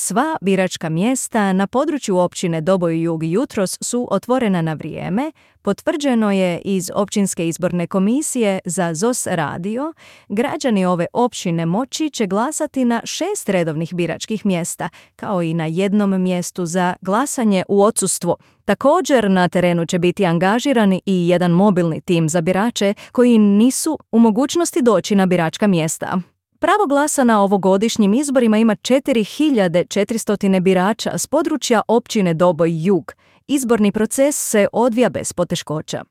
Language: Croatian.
Sva biračka mjesta na području općine Doboj Jug jutros su otvorena na vrijeme, potvrđeno je iz Općinske izborne komisije za ZOS radio. Građani ove općine moći će glasati na 6 redovnih biračkih mjesta, kao i na jednom mjestu za glasanje u odsustvu. Također na terenu će biti angažirani i jedan mobilni tim za birače koji nisu u mogućnosti doći na biračka mjesta. Pravo glasa na ovogodišnjim izborima ima 4400 birača s područja općine Doboj Jug. Izborni proces se odvija bez poteškoća.